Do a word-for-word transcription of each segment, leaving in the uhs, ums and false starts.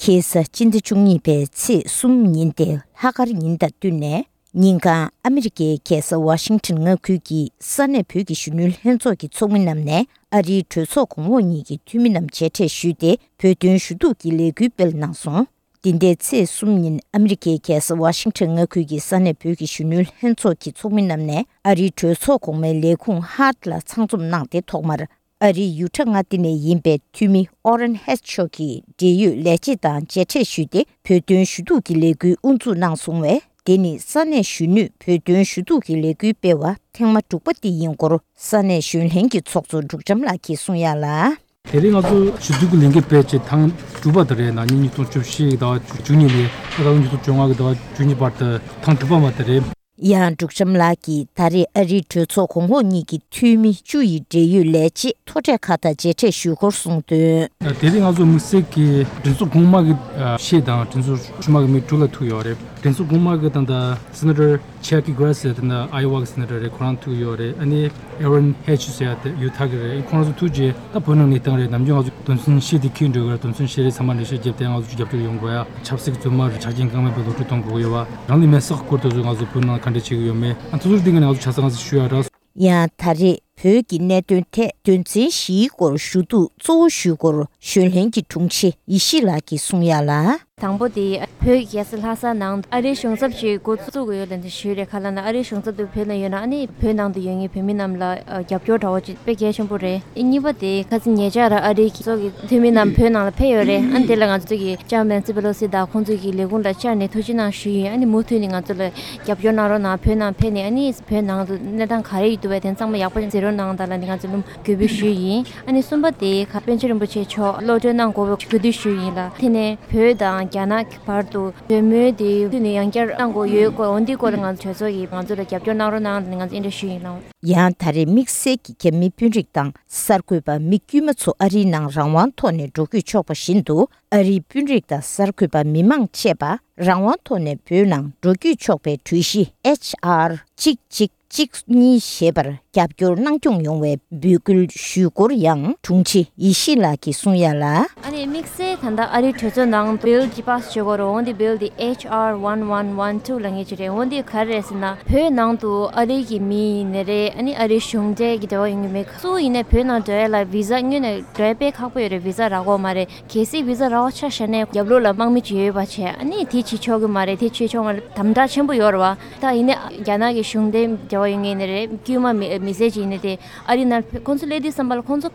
ཁ་སང་སྤྱི་ཟླ་བཅུ་གཉིས་པའི་ཚེས་གསུམ་ཉིན་ཏེ་ལྷག་དཀར་ཉིན་དང་བསྟུན་ནས། ཉིན་གང་ཨ་མི་རི་ཀའི་རྒྱལ་ས་ཝ་ཤིང་ཊོན་མངའ་ཁུལ་གྱི་ས་གནས་བོད་ཀྱི་གཞོན་ནུའི་ལྷན་ཚོགས་ཀྱི་ཚོགས་མི་རྣམས་ནས་ཨ་རིའི་གྲོས་ཚོགས་གོང་འོག་གཉིས་ཀྱི་འཐུས་མི་རྣམས་མཇལ་འཕྲད་ཞུས་ཏེ། བོད་དོན་ཞུ་གཏུག་གི་ལས་འགུལ་སྤེལ་གནང་སོང་། འདི་ཟླའི་ཚེས་གསུམ་ཉིན་ཨ་མི་རི་ཀའི་རྒྱལ་ས་ཝ་ཤིང་ཊོན་མངའ་ཁུལ་གྱི་ས་གནས་བོད་ཀྱི་གཞོན་ནུའི་ལྷན་ཚོགས་ཀྱི་ཚོགས་མི་རྣམས་ནས་ཨ་རིའི་གྲོས་ཚོགས་གོང་མའི་ལས་ཁུངས་ཧཱར་ཊི་ལ་ཚང་འཛོམས་གནང་སྟེ། ཐོག་མར་ཨ་རིའི་ཡུ་ཊ་མངའ་སྡེ་ནས་ཡིན་པའི་འཐུས་མི་ཨོ་རན་ཧེ་ཆི་མཆོག་གིས་འབྲེལ་ཡོད་ལས་བྱེད་དང་མཇལ་འཕྲད་ཞུས་ཏེ། བོད་དོན་ཞུ་གཏུག་གི་ལས་འགུལ་དབུ་འཛུགས་གནང་སོང་བས། དེ་ནི་ས་གནས་གཞོན་ནུས་བོད་དོན་ཞུ་གཏུག་གི་ལས་འགུལ་སྤེལ་བ་ཐེངས་མ་དྲུག་པ་དེ་ཡིན་སྐོར་ས་གནས་གཞོན་ལྷན་གྱི་ཚོགས་གཙོ་འབྲུག་བཀྲམ་ལགས་ཀྱིས་གསུངས་ཡ་ལ། དེ་རིང་ང་ཚོ་ཞུ་གཏུག་གི་ལས་འགུལ་སྤེལ་ཆེད་ཐེངས་དྲུག་པ་དེ་རེད། ན་ནིང་ཉིས་སྟོང་བཅུ་བཞི་གི་ཟླ་བ་བཅུ་གཉིས་ནས་ད་ལྟ་ཉིས་སྟོང་བཅོ་ལྔ་གི་ཟླ་བ་བཅུ་གཉིས་བར་དུ་ཐེངས་དྲུག་པ་མ་དེ་རེད། ཡང་འབྲུག་བཀྲམ་ལགས་ཀྱིས་ད་རེས་ཨ་རིའི་གྲོས་ཚོགས་གོང་འོག་གཉིས་ཀྱི་འཐུས་མི་བཅུ་ཡི་འབྲེལ་ཡོད་ལས་བྱེད་མཐོ་གྲས་ཁག་དང་མཇལ་འཕྲད་ཞུས་སྐོར་གསུངས་དོན། དེ་རིང་ང་ཚོ་དམིགས་བསལ་གྱི་མགྲིན་ཚབ་གོང་མ་གི་ཨ་བཤད་དང་མགྲིན་ཚབ་ཕྱི་མ་གི་མི་དྲུག་ལ་ཐུག་ཡོད་རེད། མགྲིན་ཚབ་གོང་མ་གི་ད་ལྟ་སེ་ནེ་ཊར་ཆེ་ཀི་གྷ་རེ་སི་ཟེར་ཡ་དེ་ད་ཨའི་ཝ་གི་སེ་ནེ་ཊར་རེད། ཁོ་རང་ཐུག་ཡོད་རེད། ཨ་ནི་ཨེ་རོན་ཧེ་ཆི་ཟེར་ཡ་དེ་ཡུ་ཐ་གི་རེད། ཁོ་རང་ཚོ་ཐུག་རྗེས་ད་བོད་ནང་གནས་སྟངས་རེད། ནམ་རྒྱུན་ང་ཚོ་དོན་ཚན་བཞི་དེ་འཁྱེར་འགྲོ་གི་རེད། དོན་ཚན་བཞི་རེད། ཚང་མ་འགྲེལ་བཤད་བརྒྱབ་སྟེ་ང་ཚོ་རྒྱབ་སྐྱོར་ཡོང་དགོས་ཡ། ཆབ་སྲིད་བཙོན་མ་རེད། ཆ་རྐྱེན་བཀག་མེད་པའི་ལོ་དྲུག་གཏོང་དགོས་ཡོད་པ། རང་ལུས་མེར་སྲེག་སྐོར་དེ་ཚོ་ང་ཚོ་བོད་ནང་ག་འདྲ་བྱེད་ཀྱི་ཡོད་མེད། ཨ་ཐུག་ཚུར་འདི་ག་ནས་ང་ཚོ་ཆ་ཚང་ཞུ་ཡ་ར། ཡང་ད་རེས་བོད་ཀྱི་གནད་དོན་ཐད་དོན་ཚན་བཞིའི་སྐོར་ཞུ་གཏུག་གཙོ་བོ་ཞུས་སྐོར་གཞོན་ལྷན་གྱི་དྲུང་ཆེ་ཡེ་ཤེས་ལགས་ཀྱིས་གསུངས་ཡ་ལ། དང་པོ་དེ་བོད་ཀྱི་རྒྱལ་ས་ལྷ་ས་ནང་ཨ་རིའི་གཞུང་ཚབ་ཅིག་འགོ་བཙུགས་དགོས་ཡོད་ལབ་ནས་ཞུས་རེད། ག་ལབ་ན་ཨ་རིའི་གཞུང་ཚབ་དེ་བོད་ནང་ཡོད་ན་ཨ་ནི་བོད་ནང་དུ་ཡོད་མཁན་བོད་མི་རྣམས་ལ་ཨ་རྒྱབ་སྐྱོར་འདྲ་བོ་ཅིག་དཔེ་གལ་ཆེན་པོ་རེད། ཨ་གཉིས་པ་དེ་ཁ་སང་ཉེ་ཆར་ཨ་རིའི་གྲོས་ཚོགས་ཀྱི་འཐུས་མི་རྣམས་བོད་ནང་ལ་ཕེབས་ཡོད་རེད། ཨ་ནི་དེ་ལ་ང་ཚོ་གི་ལྕམ་ནན་སི་པེ་ལོ་སི་དང་ཁོང་ཚོ་གི་ལས་ཁུངས་ལ་བཅར་ནས་ཐུགས་རྗེ་གནང་ཞུས་ཡིན། ཨ་ནི་མུ་མཐུད་ནས་ང་ཚོ་ལ་རྒྱབ་སྐྱོར་གནང་རོགས་གནང་། བོད་ནང་ཕེབས་ནས་ཨ་ནི་བོད་ནང་དུ་གནས་སྟངས་ག་རེ་ཡོད་འདུག་པས་དེ་ཚང་མ་ཡག་པོ་གཟིགས་རོགས་གནང་དང་ལབ་ནས་ང་ཚོ་ལུང་གུས་འབུལ་ཞུས་ཡིན། ཨ་ནི་གསུམ་པ་དེ་ག་པཎ་ཆེན་རིན་པོ་ཆེ་མཆོག་གློད་གྲོལ་གནང་དགོས་པའི་གུས་འདུད་ཞུས་ཡིན་ལ། དེ་ནས་བོད་དང་རྒྱ་ནག་གི་བར་དུ་གྲོས་མོལ་དེ་མུ་མཐུད་ནས་ཡང་བསྐྱར་གནང་དགོས་ཡོད་སྐོར། འོན་ཏེ་སྐོར་ལ་ང་ཚོ་གྲོས་ཚོགས་ཀྱིས་ང་ཚོ་ལ་རྒྱབ་སྐྱོར་གནང་རོགས་གནང་ལབ་ནས་ང་ཚོ་འདི་འདྲ་ཞུས་ཡིན་ལ། ཡང་ད་རེས་དམིགས་བསལ་གྱི་རྒྱ་མིའི་དཔོན་རིགས་དང་གསར་འགོད་པ་མི་དཀྱུས་མ་ཚོ་ཨ་རིའི་ནང་རང་དབང་ཐོག་ནས་འགྲོ་སྐྱོད་ཆོག་པ་བཞིན་དུ། ཨ་རིའི་དཔོན་རིགས་དང་གསར་འགོད་པ་མི་མང་བཅས་པ་རང་དབང་ཐོག་ནས་བོད་ནང་འགྲོ་སྐྱོད་ཆོག་པའི་གྲོས་གཞི་ཨེཆ་ཨར་གཅིག་གཅིག་གཅིག་གཉིས་ཞེས་པར་རྒྱབ་སྐྱོར་གནང་སྐྱོང་ཡོང་བའི་འབོད་སྐུལ་ཞུས་སྐོར་ཡང་དྲུང་ཆེ་ཡེ་ཤེས་ལགས་ཀྱིས་གསུངས་ཡ་ལ། ཨ་ནི་དམིགས་བསལ་ད་ལྟ་ཨ་རིའི་གྲོས་ཚོགས་ནང་བིལ་ཅིག་པཱ་སི་བྱེད་དགོས་རེད། འོན་ཏེ་བིལ་དེ་ཨེཆ་ཨར་ཝན་ཝན་ཝན་ཊུ་ལབ་མཁན་ཅིག་རེད། འོན་ཏེ་ག་རེ་རེད་ཟེར་ན་བོད་ནང་དུ་ཨ་རི་གི་མི་ཡིན་ནའི་རེད། ཨ་ནི་ཨ་རིའི་གཞུང་འབྲེལ་གྱི་འབྲེལ་བ་ཡོད་མཁན་མི་སུ་ཡིན་ནའི་བོད་ནང་འགྲོ་ཡ་ལ་བི་ཟ་སྔོན་ནས་འགྲོ་ཡ་དཔེ་ཁག་པོ་ཡོད་རེད། བི་ཟ་རག་གི་ཡོད་མ་རེད། གལ་སྲིད་བི་ཟ་རག་པ་ཆ་བཞག་ནས་རྒྱབ་ལོགས་ལ་དམག་མི་ཅིག་ཡོད་པ་བྱས་ཨ་ནི་དེ་བྱེད་ཆོག་གི་མ་རེད། དེ་བྱེད་ཆོག་མ་རེད། དམ་དྲག་ཆེན་པོ་ཡོད་རེད་བ། ད་ཡིན་ནའི་རྒྱ་ནག་གི་གཞུང་འབྲེལ་འབྲེལ་བ་ཡོད་མཁན་ནི་རེད། དཀྱུས་མ་མི་མི་སེར་ཅིག་ཡིན་ནའི་དེ་ཨ་རི་ནང་ཁོང་ཚོ་སླེབས་དུས་ཙམ་པ་ལ་ཁོང་ཚོ་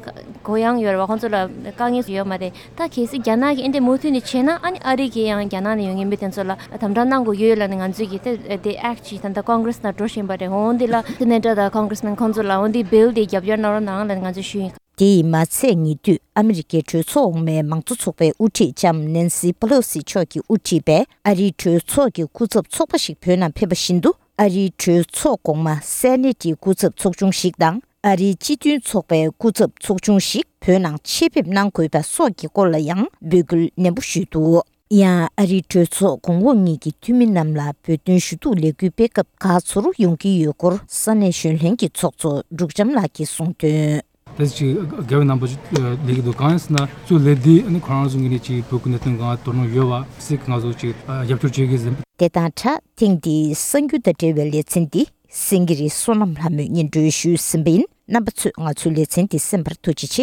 གུ་ཡངས་ཡོད་རེད་བ། ཁོང་ཚོ་ལ་དཀའ་ངལ་ཡོད་མ་རེད། ད་གལ་སྲིད་རྒྱ་ནག་གིས་ཨེ་འདྲ་མུ་མཐུད་ནས་བྱས་ན་ཨ་ནི་ཨ་རི་གིས་ཡང་རྒྱ་ནག་ནས་ཡོང་མཁན་མི་དེ་ཚོ་ལ་དམ་དྲག་གནང་དགོས་ཡོད་ལབ་ནས་ང་ཚོས་ཀྱི་དེ་དེ་ཨེཀ་ཅིག་ད་ལྟ་ཀོང་གྷི་རེ་སི་ནང་འགྲོ་བཞིན་པ་རེད། འོན་ཏེ་ལ་སེ་ནེ་ཊར་དང་ཀོང་གྷི་རེ་སི་མེན་ཁོང་ཚོ་ལ་འོན་ཏེ་བིལ་དེ་རྒྱབ་སྐྱོར་གནང་རོགས་གནང་ལབ་ནས་ང་ཚོས་ཞུས་ཡིན། དེ་ཡིས་མ་ཚད་ཉེ་དུས་ཨ་མི་རི་ཀའི་གྲོས་ཚོགས་འོག་མའི་མང་གཙོ་ཚོགས་པའི་དབུ་ཁྲིད་ལྕམ་ནེན་སི་པེ་ལོ་སི་མཆོག་གིས་དབུ་ཁྲིད་པའི་ཨ་རིའི་གྲོས་ཚོགས་ཀྱི་སྐུ་ཚབ་ཚོགས་པ་ཞིག་བོད་ནང་ཕེབས་པ་བཞིན་དུ། ཨ་རིའི་གྲོས་ཚོགས་གོང་མ་སེ་ནེ་ཊི་སྐུ་ཚབ་ཚོགས་ཆུང་ཞིག་དང་། ཨ་རིའི་སྤྱི་མཐུན་ཚོགས་པའི་སྐུ་ཚབ་ཚོགས་ཆུང་ཞིག་བོད་ནང་ཆེད་ཕེབས་གནང་དགོས་པ་སོགས་ཀྱི་སྐོར་ལ་ཡང་འབོད་སྐུལ་ནན་པོ་ཞུས་འདུག་ཡང་ཨ་རིའི་གྲོས་ཚོགས་གོང་འོག་གཉིས་ཀྱི་འཐུས་མི་རྣམས་ལ་བོད་དོན་ཞུ་གཏུག་ལས་འགུལ་སྤེལ་སྐབས་ག་ཚོད་ཡོང་གི་ཡོད་སྐོར་ས་གནས་གཞོན་ལྷན་གྱི་ཚོགས་གཙོ་འབྲུག་བྱམས་ལགས་ཀྱིས་གསུངས་དོན། ད་ཅིག་དགེ་བའི་རྣམ་པ་ཅིག་ལས་ཀྱི་འདུག་གང་ཡིན་ཟེར་ན་གཙོ་ལས་འདི་ནི་ཁོ་རང་ཚོ་ངོས་ནས་ཅིག་བོད་ཀྱི་གནད་དོན་སྒང་དོ་སྣང་ཡོད་པ་སྲིད་ཀྱི་ང་ཚོ་ཅིག་རྒྱབ་སྐྱོར་བྱེད་ཀྱི་ཟིན། དེ་དང་སྦྲགས་ཐེངས་འདིའི་གསར་འགྱུར་དང་འབྲེལ་བའི་ལེ་ཚན་འདི་སེང་གེ་རི་བསོད་ནམས་ལྷ་མོས་སྙན་སྒྲོན་ཞུས་ཟིན་པ་ཡིན། རྣམ་པ་ཚོས་ང་ཚོའི་ལེ་ཚན་འདི་གསན་པར་ཐུགས་རྗེ་ཆེ།